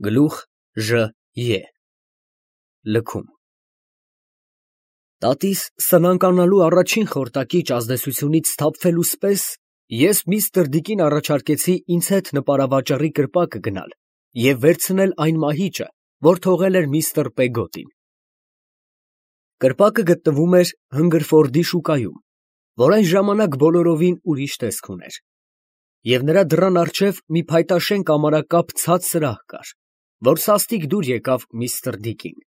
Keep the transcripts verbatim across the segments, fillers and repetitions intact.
Գլուխ Ժ Ե Լքում Տատիս սնանկանալու առաջին խորտակիչ ազդեցությունից սթափվելուս պես ես միստր Դիկին առաջարկեցի ինձ հետ նպարավաճառի կրպակը գնալ և վերցնել այն մահիճը, որ թողել էր միստր Պեգոտին։ Կրպակը գտնվում էր Հնգրֆորդի շուկայում, որ այն ժամանակ բոլորովին ուրիշ տեսք ուներ, և նրա դռան առջև մի փայտաշեն կամարակապ ցած սրահ կար, որ սաստիկ դուր եկավ միստր Դիկին։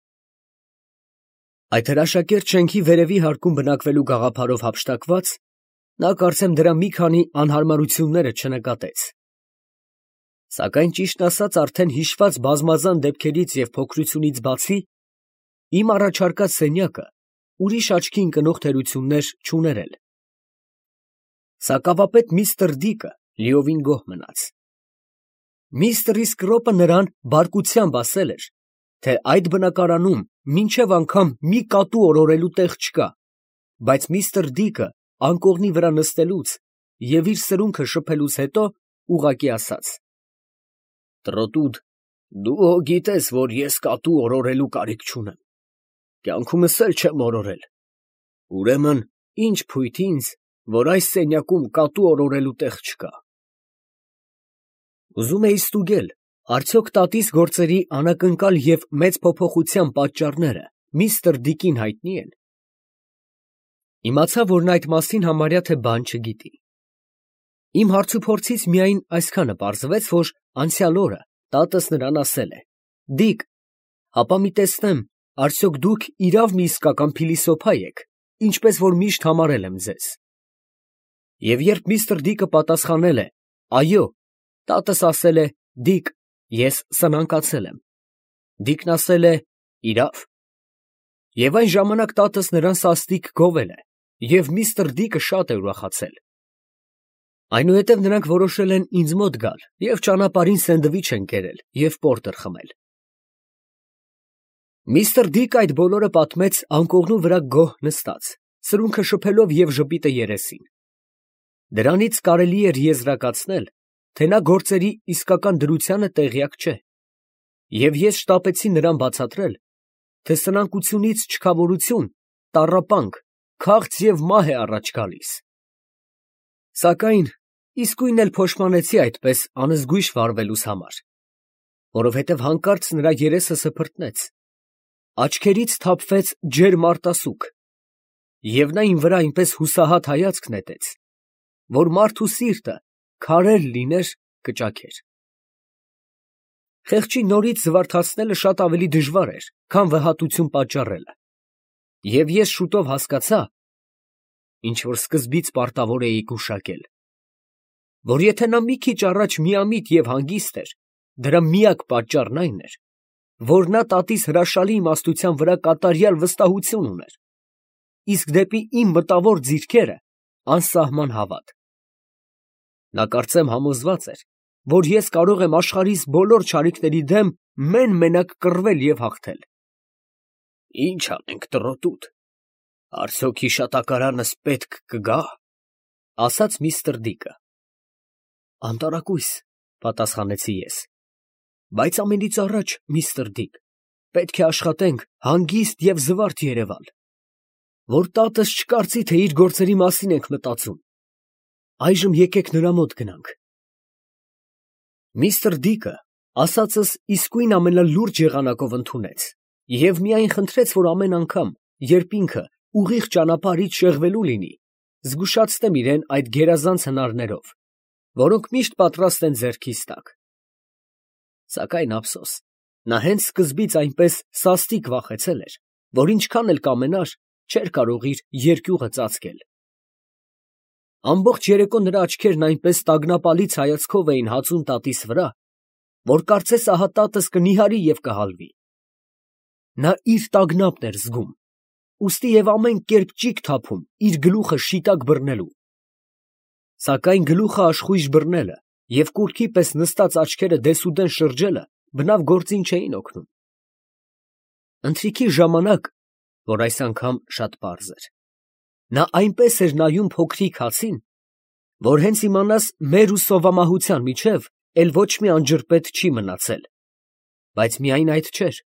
Այդ հրաշակերտ շենքի վերևի հարկում բնակվելու գաղափարով հափշտակված, նա կարծեմ դրա մի քանի անհարմարությունները չնկատեց։ Սակայն ճիշտն ասած արդեն հիշված բազմազան դեպքերից և փոքրությունից բացի, իմ առաջարկած սենյակը ուրիշ աչքի ընկնող թերություններ չուներ էլ։ Սակավապետ միստր Դիկը լիովին գոհ մնաց։ Միստր Իսկրոպը նրան բարկությամբ ասել էր, թե այդ բնակարանում մինչև անգամ մի կատու օրորելու տեղ չկա, բայց միստր Դիկը անկողնի վրա նստելուց և իր սրունքը շփելուց հետո ուղղակի ասաց. «Տրոտուդ, դու հո գիտես, որ ես կատու օրորելու կարիք չունեմ, կյանքումս էլ չեմ օրորել, ուրեմն ի՞նչ փույթ ինձ, որ այս սենյակում կատու օրորելու տեղ չկա»։ Ուզում էի ստուգել, արդյոք տատիս գործերի անակնկալ և մեծ փոփոխության պատճառները միստր Դիկին հայտնի են։ Իմացա, որ նա այդ մասին համարյա թե բան չգիտի։ Իմ հարցուփորձից միայն այսքանը պարզվեց, որ անցյալ օրը տատս նրան ասել է. «Դիկ, հապա մի տեսնեմ, արդյոք դուք իրավ մի իսկական փիլիսոփա եք, ինչպես որ միշտ համարել եմ ձեզ»։ Եվ երբ միստր Դիկը պատասխանել է. «Այո», տատս ասել է. «Դիկ, ես սնանկացել եմ»։ Դիկն ասել է. «Իրավ»։ Եվ այն ժամանակ տատս նրան սաստիկ գովել է, և միստր Դիկը շատ է ուրախացել։ Այնուհետև նրանք որոշել են ինձ մոտ գալ և ճանապարհին սենդվիչ են կերել և պորտեր խմել։ Միստր Դիկը այդ բոլորը պատմեց անկողնու վրա գոհ նստած, սրունքը շփելով և ժպիտը երեսին։ Դրանից կարելի էր եզրակացնել, թե նա գործերի իսկական դրությանը տեղյակ չէ, և ես շտապեցի նրան բացատրել, թե սնանկությունից չքավորություն, տառապանք, քաղց և մահ է առաջ գալիս։ Սակայն իսկույն էլ փոշմանեցի այդպես անզգույշ վարվելուս համար, որովհետև հանկարծ նրա երեսը սփռտնեց, աչքերից թափվեց ջերմ արտասուք, և նա իմ վրա այնպես հուսահատ հայացք նետեց, որ մարդու սիրտը քարեր լիներ կճաքեր։ Խեղճին նորից զվարթացնելը շատ ավելի դժվար էր, քան վհատություն պատճառելը, և ես շուտով հասկացա (ինչ որ սկզբից պարտավոր էի գուշակել), որ եթե նա մի քիչ առաջ միամիտ և հանգիստ էր, դրա միակ պատճառն այն էր, որ նա տատիս հրաշալի իմաստության վրա կատարյալ վստահություն ուներ, իսկ դեպի իմ մտավոր ձիրքերը անսահման հավատ։ Նա կարծեմ համոզված էր, որ ես կարող եմ աշխարհիս բոլոր չարիքների դեմ մեն֊մենակ կռվել և հաղթել։ «Ի՞նչ անենք, տրոտուդ, արդյոք հիշատակարանս պետք կգա՞, ֊ ասաց միստր Դիկը։ «Անտարակույս, ֊ պատասխանեցի ես, ֊ բայց ամենից առաջ, միստր Դիկ, պետք է աշխատենք հանգիստ և զվարթ երևալ, որ տատս չկարծի, թե իր գործերի մասին ենք մտածում։ Այժմ եկեք նրա մոտ գնանք»։ Միստր Դիկը ասածս իսկույն ամենալուրջ եղանակով ընդունեց և միայն խնդրեց, որ ամեն անգամ, երբ ինքը ուղիղ ճանապարհից շեղվելու լինի, զգուշացնեմ իրան այդ գերազանց հնարներով, որոնք միշտ պատրաստ են ձեռքիս տակ։ Սակայն ափսոս, նա հենց սկզբից այնպես սաստիկ վախեցել էր, որ ինչքան էլ կամենար, չէր կարող իր երկյուղը ծածկել։ Ամբողջ երեկո նրա աչքերն այնպես տագնապալից հայացքով էին հածում տատիս վրա, որ կարծես ահա տատս կնիհարի և կհալվի։ Նա իր տագնապն էր զգում, ուստի և ամեն կերպ ճիգ թափում իր գլուխը շիտակ բռնելու։ Սակայն գլուխը աշխույժ բռնելը և կուռքի պես նստած աչքերը դեսուդեն շրջելը բնավ գործին չէին օգնում։ Ընթրիքի ժամանակ, որ այս անգամ շատ պարզ էր, նա այնպես էր նայում փոքրիկ հացին, որ հենց իմանաս մեր ու սովամահության միջև էլ ոչ մի անջրպետ չի մնացել։ բայց միայն այդ չէր։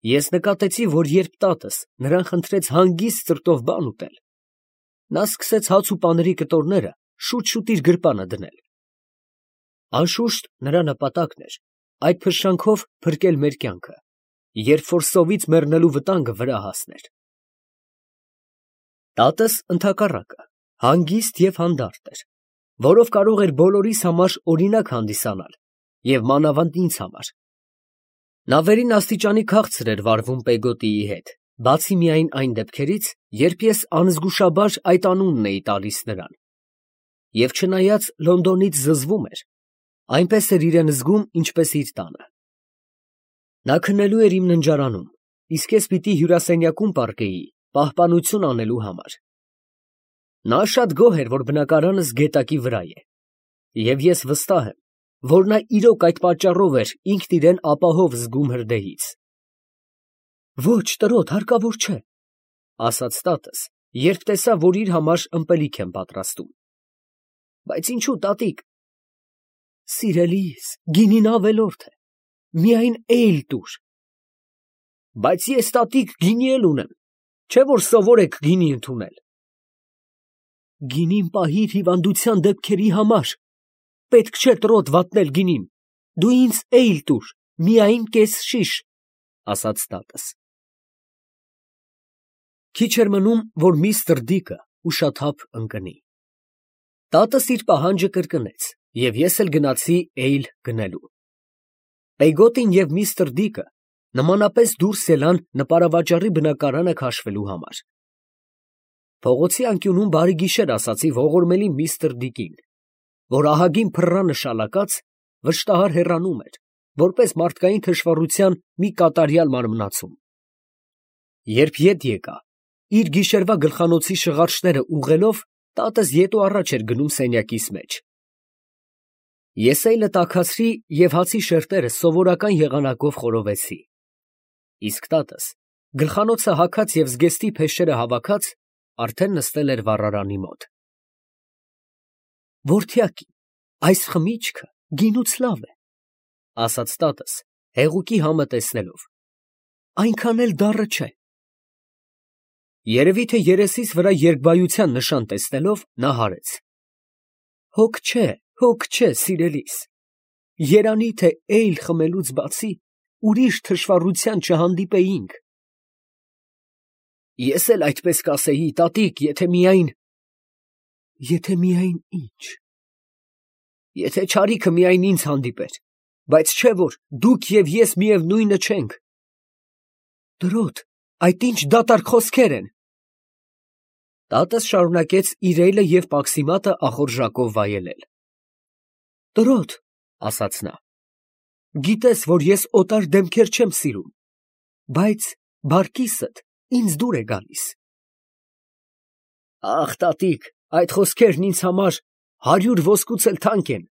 Ես նկատեցի, որ երբ տատս նրան խնդրեց հանգիստ սրտով բան ուտել, նա սկսեց հաց ու պաների կտորները շուտ-շուտ իր գրպանը դնել։ Անշուշտ նրա նպատակն էր այդ փշրանքով փրկել մեր կյանքը, երբ որ սովից մեռնելու վտանգը վրա հասներ։ Տատս ընդհակառակը հանգիստ և հանդարտ էր, որով կարող էր բոլորիս համար օրինակ հանդիսանալ և մանավանդ ինձ համար։ Նա վերին աստիճանի քաղցր էր վարվում Պեգոտիի հետ, բացի միայն այն դեպքերից, երբ ես անզգուշաբար այդ անունն էի տալիս նրան, և չնայած Լոնդոնից զզվում էր, այնպես էր իրան զգում, ինչպես իր տանը։ Նա քնելու էր իմ ննջարանում, իսկ ես պիտի հյուրասենյակում պառկեի պահպանություն անելու համար։ Նա շատ գոհ էր, որ բնակարանս գետակի վրա է, և ես վստահ եմ, որ նա իրոք այդ պատճառով էր ինքն իրան ապահով զգում հրդեհից։ «Ոչ, տրոտ, հարկավոր չէ», ֊ ասաց տատս, երբ տեսավ, որ իր համար ըմպելիք եմ պատրաստում։ «Բայց ինչո՞ւ, տատիկ»։ «Սիրելիս, գինին ավելորդ է, միայն էյլ տուր»։ «Բայց ես, տատիկ, գինի էլ ունեմ, չէ՞ որ սովոր եք գինի ընդունել»։ «Գինին պահիր հիվանդության դեպքերի համար, պետք չէ տրոտ վատնել գինին, դու ինձ էյլ տուր, միայն կես շիշ», ֊ ասաց տատս։ Քիչ էր մնում, որ միստր Դիկը ուշաթափ ընկնի։ Տատս իր պահանջը կրկնեց, և ես էլ գնացի էյլ գնելու։ Պեգոտին և միստր Դիկը նմանապես դուրս ելան նպարավաճառի բնակարանը քաշվելու համար։ Փողոցի անկյունում բարի գիշեր ասացի ողորմելի միստր Դիկին, որ ահագին փռա նշալակած վշտահար հեռանում էր, որպես մարդկային թշվառության մի կատարյալ մարմնացում։ Երբ ետ եկա, իր գիշերվա գլխանոցի շղարշները ուղղելով, տատս ետ ու առաջ էր գնում սենյակիս մեջ։ Ես էյլը տաքացրի և հացի շերտերը սովորական եղանակով խորովեցի, իսկ տատս, գլխանոցը հագած և զգեստի փեշերը հավաքած, արդեն նստել էր վառարանի մոտ։ «Որդյակի, այս խմիչքը գինուց լավ է», ֊ ասաց տատս, հեղուկի համը տեսնելով, ֊ այնքան էլ դառը չէ։ Երևի թե երեսիս վրա երկբայության նշան տեսնելով, նա հարեց. «Հոգ չէ, հոգ չէ, սիրելիս, երանի թե էյլ խմելուց բացի ուրիշ թշվառության չհանդիպեինք»։ Ես էլ այդպես կասեի, տատիկ, եթե միայն… Եթե միայն ի՞նչ։ Եթե չարիքը միայն ինձ հանդիպեր, բայց չէ որ դուք և ես միևնույնը չենք։ Տրոտ, այդ ի՞նչ դատարկ խոսքեր են։ Տատս շարունակեց իր էյլը և պաքսիմատը ախորժակով վայելել։ Տրոտ, ասաց նա, գիտես, որ ես օտար դեմքեր չեմ սիրում, բայց բարկիսդ ինձ դուր է գալիս։ Ախ, տատիկ, այդ խոսքերն ինձ համար հարյուր ոսկուց էլ թանկ են։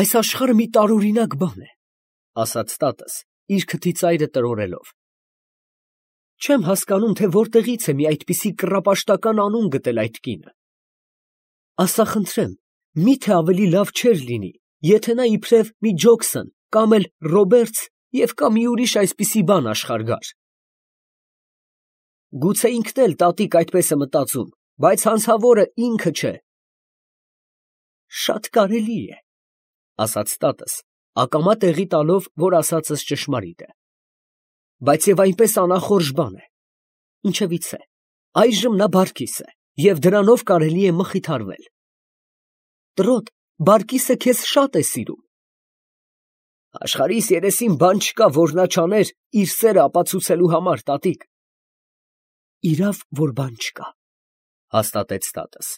Այս աշխարհը մի տարօրինակ բան է, ասաց տատս, իր քթի ծայրը տրորելով։ Չեմ հասկանում, թե որտեղից է մի այդպիսի կռապաշտական անուն գտել այդ կինը։ Ասա խնդրեմ, մի՞թե ավելի լավ չէր լինի, եթե նա իբրև մի Ջոքսոն կամ էլ Ռոբերտս և կամ մի ուրիշ այսպիսի բան աշխարհ գար։ Գուցե ինքն էլ տատիկ այդպես է մտածում, բայց հանցավորը ինքը չէ։ Շատ կարելի է, ասաց տատս, ակամա տեղի տալով, որ ասածս ճշմարիտ է, բայց և այնպես անախորժ բան է։ Ինչևիցե, այժմ նա բարկիս է, և դրանով կարելի է մխիթարվել։ Տրոտ, բարկիսը քեզ շատ է սիրում։ Աշխարհիս երեսին բան չկա, որ նա չաներ իր սերը ապացուցելու համար, տատիկ։ Իրավ, որ բան չկա, հաստատեց տատս։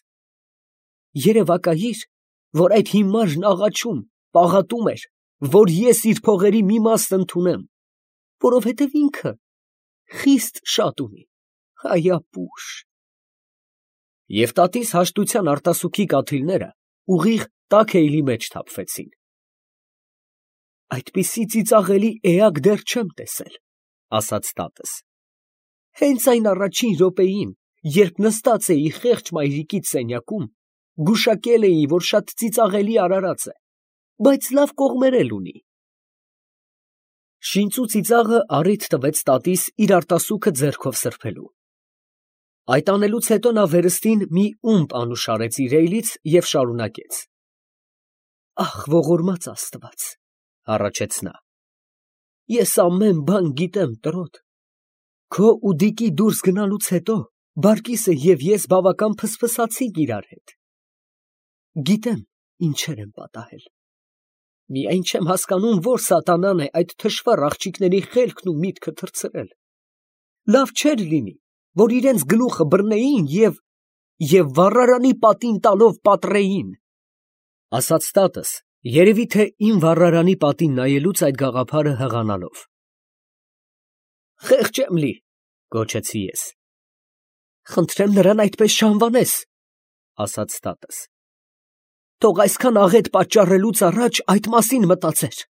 Երևակայիր, որ այդ հիմարն աղաչում, պաղատում էր, որ ես իր փողերի մի մաս ընդունեմ, որովհետև ինքը խիստ շատ ունի, հայապուշ։ Եվ տատիս հաշտության արտասուքի կաթիլները ուղիղ տաք էյլի մեջ թափվեցին։ Այդպիսի ծիծաղելի էակ դեռ չեմ տեսել, ասաց տատս։ Հենց այն առաջին րոպեին, երբ նստած էի խեղճ մայրիկիդ սենյակում, գուշակել էի, որ շատ ծիծաղելի արարած է, բայց լավ կողմեր էլ ունի։ Շինծու ծիծաղը առիթ տվեց տատիս իր արտասուքը ձեռքով սրբելու։ Այդ անելուց հետո նա վերստին մի ումպ անուշ արեց իր էյլից և շարունակեց. «Ախ, ողորմած Աստված, ֊ հառաչեց նա, ֊ ես ամեն բան գիտեմ, տրոտ. քո ու Դիկի դուրս գնալուց հետո Բարկիսը և ես բավական փսփսացինք իրար հետ։ Գիտեմ ինչեր եմ պատահել։ Միայն չեմ հասկանում, որ սատանան է այդ թշվառ աղջիկների խելքն ու միտքը թռցրել։ Լավ չէր լինի, որ իրենց գլուխը բռնեին և, և վառարանի պատին տալով պատռեին»։ Ասաց տատս, երևի թե իմ վառարանի պատին նայելուց այդ գաղափարը հղանալով։ «Խեղճ եմ լի, ֊ գոչեցի ես։ ֊ Խնդրեմ նրան այդպես չանվանես, ֊ ասաց տատս։ Թող այսքան աղետ պատճառելուց առաջ այդ մասին մտածեր։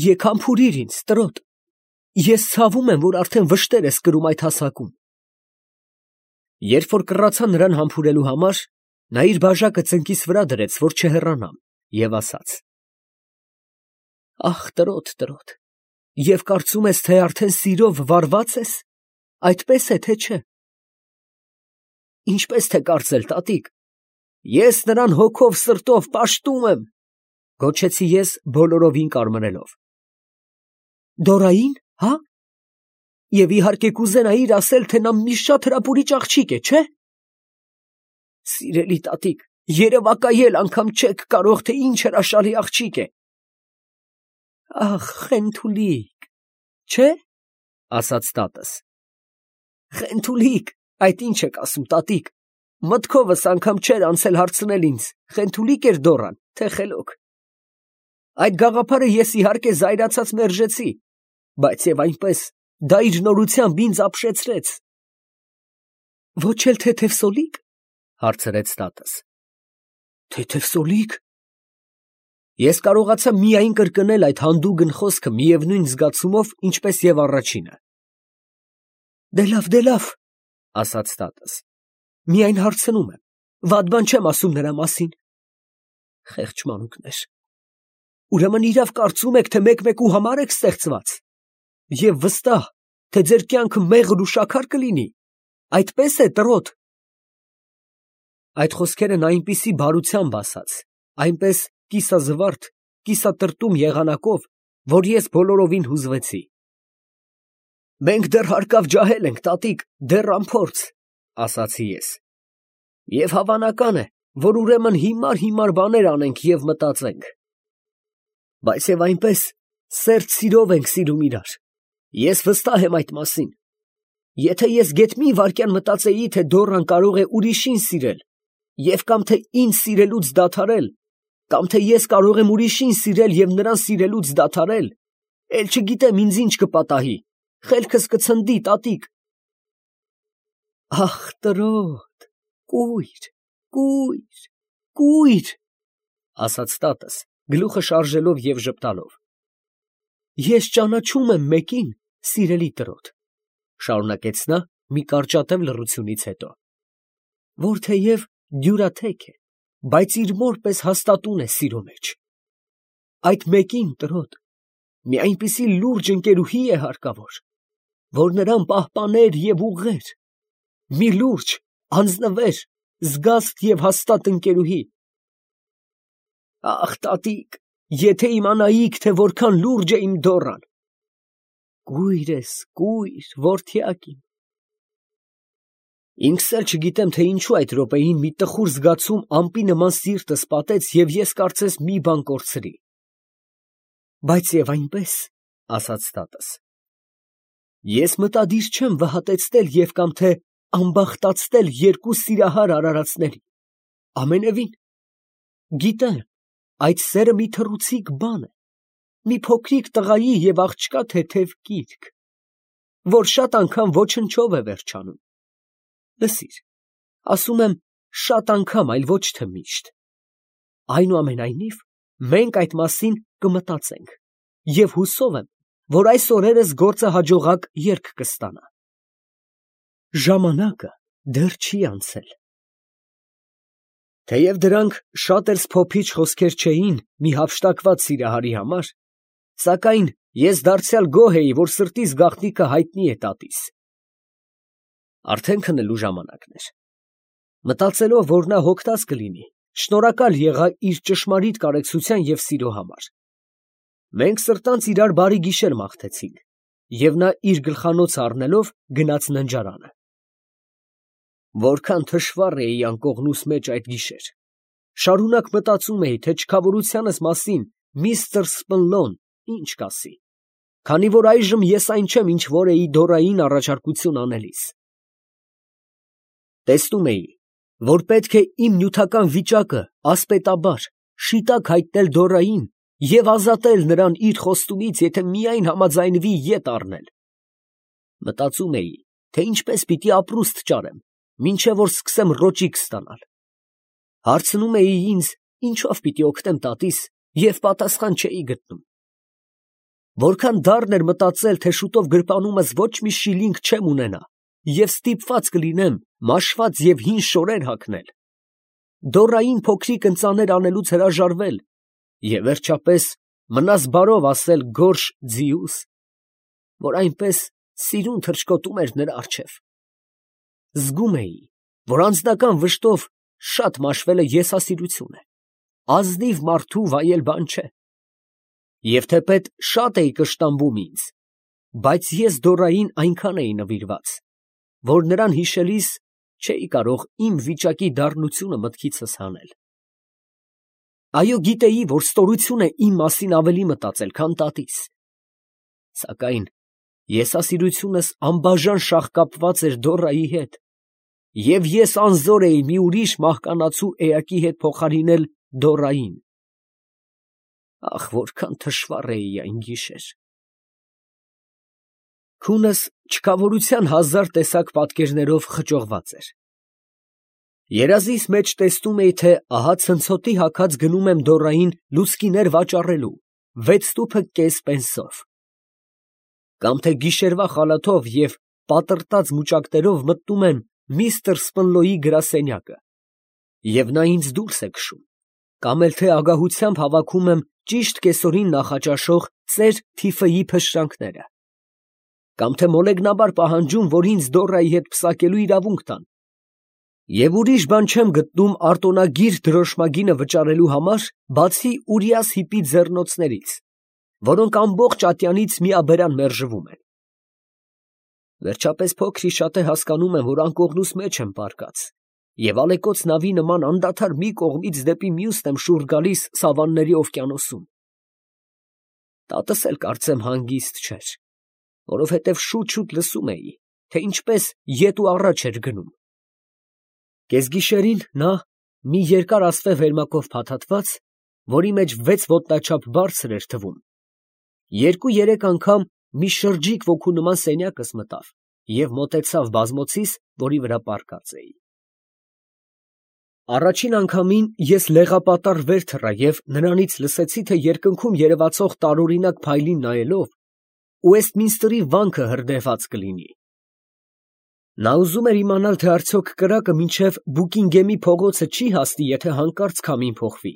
Եկ համբուրիր ինձ, տրոտ, ես ցավում եմ, որ արդեն վշտեր ես կրում այդ հասակում։ Երբ որ կռացա նրան համբուրելու համար, նա իր բաժակը ծնկիս վրա դրեց, որ չհեռանամ, և ասաց. «Ախ, տրոտ, տրոտ, և կարծում ես, թե արդեն սիրով վարվա՞ծ ես, այդպես է, թե չէ։ Ինչպես թե կարծել, տատիկ, ես նրան հոգով սրտով պաշտում եմ, ֊ գոչեցի ես բոլորովին կարմրելով։ Դորային, հա՞։ Եվ իհարկե կուզենայիր ասել, թե նա մի շատ հրապուրիչ աղջիկ է, չէ՞։ Սիրելի տատիկ, երևակայել անգամ չեք կարող, թե ինչ հրաշալի աղջիկ է։ Ախ, խենթուլիկ, չէ՞, ասաց տատս։ Խենթուլիկ, այդ ինչ եք ասում, տատիկ, մտքովս անգամ չէր անցել հարցնել ինձ, խենթուլիկ էր Դոռան, թե խելոք։ Այդ գաղափարը ես իհարկե զայրացած մերժեցի, բայց և այնպես դա իր նորությամբ ինձ ապշեցրեց։ Ոչ էլ թեթևսոլիկ, ֊ հարցրեց տատս։ Թեթևսոլիկ։ Ես կարողացա միայն կրկնել այդ հանդուգն խոսքը միևնույն զգացումով, ինչպես և առաջինը։ Դե լավ, դե լավ, ֊ ասաց տատս, միայն հարցնում եմ, վատ բան չեմ ասում նրա մասին։ Խեղճ մանուկներ, ուրեմն իրավ կարծում եք, թե մեկ֊մեկու համար եք ստեղծված, և վստահ, թե ձեր կյանքը մեղր ու շաքար կլինի, այդպես է, տրոտ։ Այդ խոսքերը նա այնպիսի բարությամբ ասաց, այնպես կիսազվարթ, կիսատրտում եղանակով, որ ես բոլորովին հուզվեցի։ Մենք դեռ հարկավ ջահել ենք, տատիկ, դեռ անփորձ, ֊ ասացի ես, և հավանական է, որ ուրեմն հիմար֊հիմար բաներ անենք և մտածենք։ Բայց և այնպես սերտ սիրով ենք սիրում իրար, ես վստահ եմ այդ մասին։ Եթե ես գեթ մի վայրկյան մտածեի, թե Դոռան կարող է ուրիշին սիրել, և կամ թե ինձ սիրելուց դադարել, կամ թե ես կարող եմ ուրիշին սիրել և նրան սիրելուց դադարել, էլ չգիտեմ ինձ ինչ կպատահի, խելքս կցնդի, տատիկ։ Ախ, տրոտ, կույր, կույր, կույր, ֊ ասաց տատս, գլուխը շարժելով և ժպտալով։ Ես ճանաչում եմ մեկին, սիրելի տրոտ, ֊ շարունակեց նա մի կարճատև լռությունից հետո, որ թեև դյուրաթեք է, բայց իր մոր պես հաստատուն է սիրո մեջ։ Այդ մեկին, տրոտ, մի այնպիսի լուրջ ընկերուհի է հարկավոր, որ նրան պահպաներ և ուղղեր, մի լուրջ, անձնվեր, զգաստ և հաստատ ընկերուհի։ Ախ, տատիկ, եթե իմանայիք, թե որքան լուրջ է իմ Դոռան։ Կույր ես, կույր, որդյակ իմ։ Ինքս էլ չգիտեմ, թե ինչու այդ րոպեին մի տխուր զգացում ամպի նման սիրտս պատեց, և ես կարծես մի բան կորցրի։ Բայց և այնպես, ֊ ասաց տատս, ես մտադիր չեմ վհատեցնել և կամ թե ամբախտացնել երկու սիրահար արարածների, ամենևին։ Գիտեմ, այդ սերը մի թռուցիկ բան է, մի փոքրիկ տղայի և աղջկա թեթև կիրք, որ շատ անգամ ոչնչով է վերջանում։ Լսիր, ասում եմ շատ անգամ, այլ ոչ թե միշտ։ Այնուամենայնիվ, մենք այդ մասին կմտածենք, և հուսով եմ, որ այս օրերս գործը հաջողակ ելք կստանա։ Ժամանակը դեռ չի անցել։ Թեև դրանք շատ էլ սփոփիչ խոսքեր չէին մի հափշտակված սիրահարի համար, Սակայն ես դարձյալ գոհ էի, որ սրտիս գաղտնիքը հայտնի է տատիս։ Արդեն քնելու ժամանակն էր։ Մտածելով, որ նա հոգտած կլինի, շնորհակալ եղա իր ճշմարիտ կարեկցության և սիրո համար։ Մենք սրտանց իրար բարի գիշեր մաղթեցինք, և նա իր գլխանոցը առնելով գնաց ննջարանը։ Որքան թշվառ էի անկողնուս մեջ այդ գիշեր։ Շարունակ մտածում էի, թե չքավորությանս մասին միստր Սպնլոն ինչ կասի, քանի որ այժմ ես այն չեմ, ինչ որ էի Դորային առաջարկություն անելիս։ Տեսնում էի, որ պետք է իմ նյութական վիճակը ասպետաբար, շիտակ հայտնել Դորային և ազատել նրան իր խոստումից, եթե միայն համաձայնվի ետ առնել։ Մտածում էի, թե ինչպես պիտի ապրուստ ճարեմ, մինչև որ սկսեմ ռոճիկ ստանալ։ Հարցնում էի ինձ, ինչով պիտի օգնեմ տատիս, և պատասխան չէի գտնում։ Որքան դառն էր մտածել, թե շուտով գրպանումս ոչ մի շիլինգ չեմ ունենա և ստիպված կլինեմ մաշված և հին շորեր հագնել, Դորային փոքրիկ ընծաներ անելուց հրաժարվել և վերջապես մնաս բարով ասել գորշ ձիուս, որ այնպես սիրուն թռչկոտում էր նրա առջև։ Զգում էի, որ անձնական վշտով շատ մաշվելը եսասիրություն է, ազնիվ մարդու վայել բան չէ, և թեպետ շատ էի կշտամբում ինձ, բայց ես Դորային այնքան էի նվիրված, որ նրան հիշելիս չէի կարող իմ վիճակի դառնությունը մտքիցս հանել։ Այո, գիտեի, որ ստորություն է իմ մասին ավելի մտածել, քան տատիս, սակայն եսասիրությունս անբաժան շաղկապված էր Դորայի հետ, և ես անզոր էի մի ուրիշ մահկանացու էակի հետ փոխարինել Դորային։ Ախ, որքան թշվառ էի այն գիշեր։ Քունս չքավորության հազար տեսակ պատկերներով խճողված էր։ Երազիս մեջ տեսնում էի, թե ահա ցնցոտի հագած գնում եմ Դորային լուցկիներ վաճառելու, վեց տուփը կես պենսով։ Կամ թե գիշերվա խալաթով և պատռտած մուճակներով մտնում եմ միստր Սպնլոյի գրասենյակը, և նա ինձ դուրս է քշում, կամ էլ թե ագահությամբ հավաքում եմ ճիշտ կեսօրին նախաճաշող ծեր թիֆեի փշրանքները, կամ թե մոլեգնաբար պահանջում, որ ինձ Դորայի հետ պսակելու իրավունք տան, և ուրիշ բան չեմ գտնում արտոնագիր դրոշմագինը վճարելու համար, բացի Ուրիաս հիպի ձեռնոցներից, որոնք ամբողջ ատյանից միաբերան մերժվում են։ Վերջապես փոքր-ի-շատե հասկանում եմ, որ անկողնուս մեջ եմ պառկած, և ալեկոծ նավի նման անդադար մի կողմից դեպի մյուսն եմ շուռ գալիս սավանների օվկիանոսում։ Տատս էլ կարծեմ հանգիստ չէր, որովհետև շուտ֊շուտ լսում էի, թե ինչպես ետ ու առաջ էր գնում։ Կեսգիշերին նա, մի երկար ասվե վերմակով փաթաթված, որի մեջ վեց ոտնաչափ բարձր էր թվում, երկու֊երեք անգամ մի շրջիկ ոգու նման սենյակս մտավ և մոտեցավ բազմոցիս, որի վրա պառկած էի։ Առաջին անգամին ես լեղապատառ վեր թռա և նրանից լսեցի, թե երկնքում երևացող տարօրինակ փայլին նայելով Ուեստմինստրի վանքը հրդեհված կլինի։ Նա ուզում էր իմանալ, թե արդյոք կրակը մինչև Բուկինգեմի փողոցը չի հասնի, եթե հանկարծ քամին փոխվի։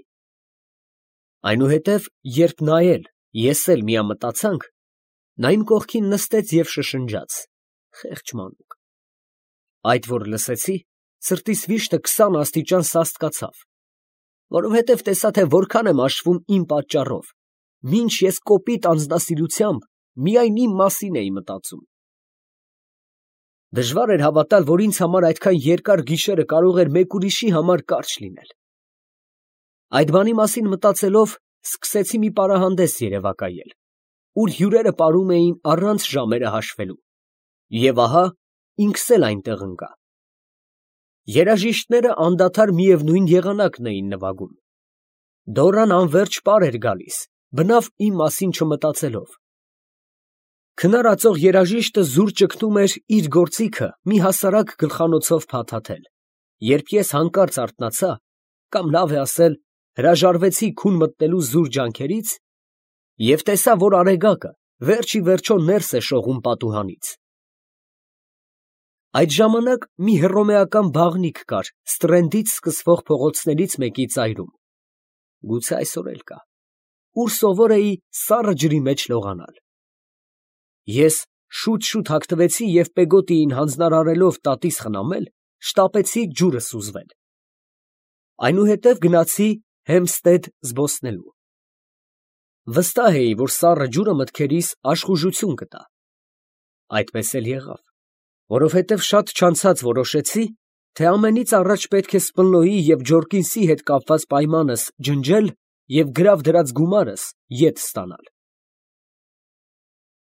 Այնուհետև, երբ նա էլ, ես էլ միամտացանք, նա իմ կողքին նստեց և շշնջաց. խեղճ մանուկ։ Այդ որ լսեցի, սրտիս վիշտը քսան աստիճան սաստկացավ, որովհետև տեսա, թե որքան եմ աշխվում իմ պատճառով, մինչ ես կոպիտ անձնասիրությամբ միայն իմ մասին էի մտածում։ Դժվար էր հավատալ, որ ինձ համար այդքան երկար գիշերը կարող էր մեկ ուրիշի համար կարճ լինել։ Այդ բանի մասին մտածելով, սկսեցի մի պարահանդես երևակայել, ուր հյուրերը պարում էին առանց ժամերը հաշվելու, և ահա ինքս էլ այնտեղ ընկա։ Երաժիշտները անդադար միևնույն եղանակն էին նվագում։ Դորան անվերջ պար էր գալիս, բնավ իմ մասին չմտածելով։ Քնարածող երաժիշտը զուր ճգնում էր իր գործիքը մի հասարակ գլխանոցով փաթաթել, երբ ես հանկարծ արթնացա, կամ լավ է ասել, հրաժարվեցի քուն մտնելու զուր ջանքերից և տեսա, որ արեգակը վերջ ի վերջո ներս է շողում պատուհանից։ Այդ ժամանակ մի հռոմեական բաղնիք կար Ստրենդից սկսվող փողոցներից մեկի ծայրում, գուցե այսօր էլ կա, ուր սովոր էի սառը ջրի մեջ լողանալ։ Ես շուտ֊շուտ հագնվեցի և պեգոտիին հանձնարարելով տատիս խնամել, շտապեցի ջուրը սուզվել։ Այնուհետև գնացի Հեմփսթեդ զբոսնելու։ Վստահ էի, որ սառը ջուրը մտքերիս աշխուժություն կտա։ Այդպես էլ եղավ, որովհետև շատ չանցած որոշեցի, թե ամենից առաջ պետք է Սպլոյի և Ջորկինսի հետ կապված պայմանս ջնջել և գրավ դրած գումարս ետ ստանալ։